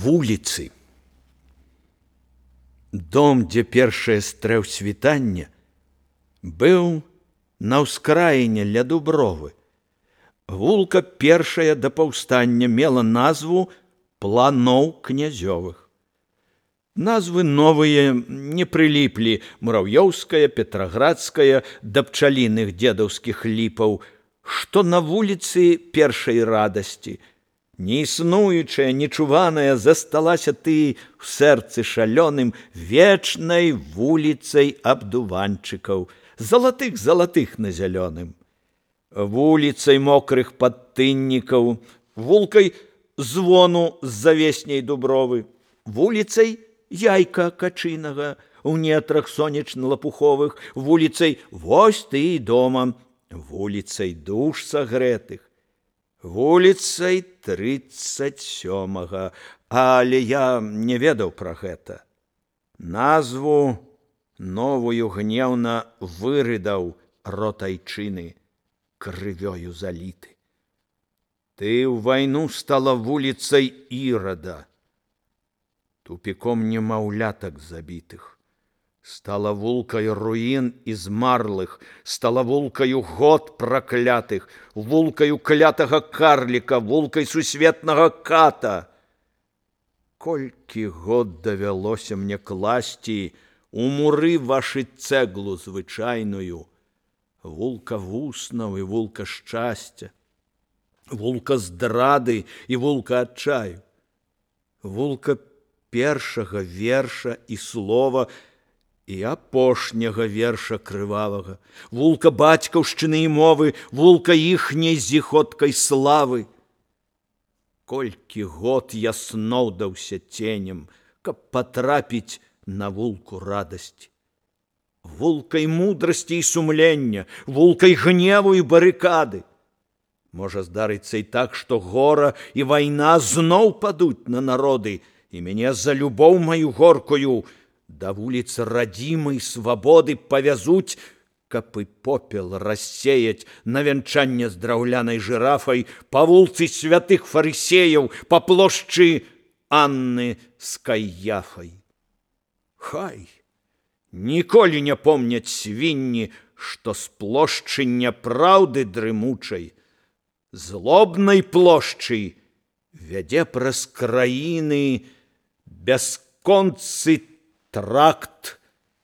Вуліцы. Дом, дзе першае стрэў світання, быў на ўскраіне ля дубровы. Вулка першая да паўстання мела назву Планоў князёвых. Назвы новыя не прыліплі: Мурав'ёўская, Петраградская, да пчаліных дзедаўскіх ліпаў, што на вуліцы першай радасці. Неіснуючая, нечуваная засталася ты ў сэрцы шалёным вечнай вуліцай абдуванчыкаў, залатых на зялёным. Вуліцай мокрых падтыннікаў, вулкай звону з завесней дубровы, вуліцай яйка качынага ў нетрах сонечна-лапуховых, вуліцай вось ты і дома, вуліцай душ сагрэтых, вуліцай 37-га, але я не ведаў пра гэта. Назву новую гнеўна вырыдаў рот айчыны, крывёю заліты. Ты ў вайну стала вуліцай Ірада, тупіком немаўлятак забітых. Стала вулкай руін і змарлых, стала вулкаю год праклятых, вулкаю клятага карліка, вулкай сусветнага ката. Колькі год давялося мне класці у муры вашы цэглу звычайную, вулка вуснаў і вулка шчасця, вулка здрады і вулка адчаю, вулка першага верша і слова і апошняга верша крывавага, вулка бацькаўшчыны і мовы, вулка іхняй зіходкай славы. Колькі год я сноўдаўся ценем, каб патрапіць на вулку радасці. Вулкай мудрасці і сумлення, вулкай гневу і барыкады. Можа здарыцца і так, што гора і вайна зноў падуць на народы, і мяне за любоў маю горкую да вуліц радзімай свабоды павязуць, каб і попел рассеяць на вянчанне з драўлянай жырафай па вулцы святых фарысеяў, па плошчы Анны з Каяфай. Хай ніколі не помняць свінні, што з плошчы няпраўды дрымучай, злобнай плошчы вядзе праз краіны бясконцы тракт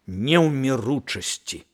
неўміручасці.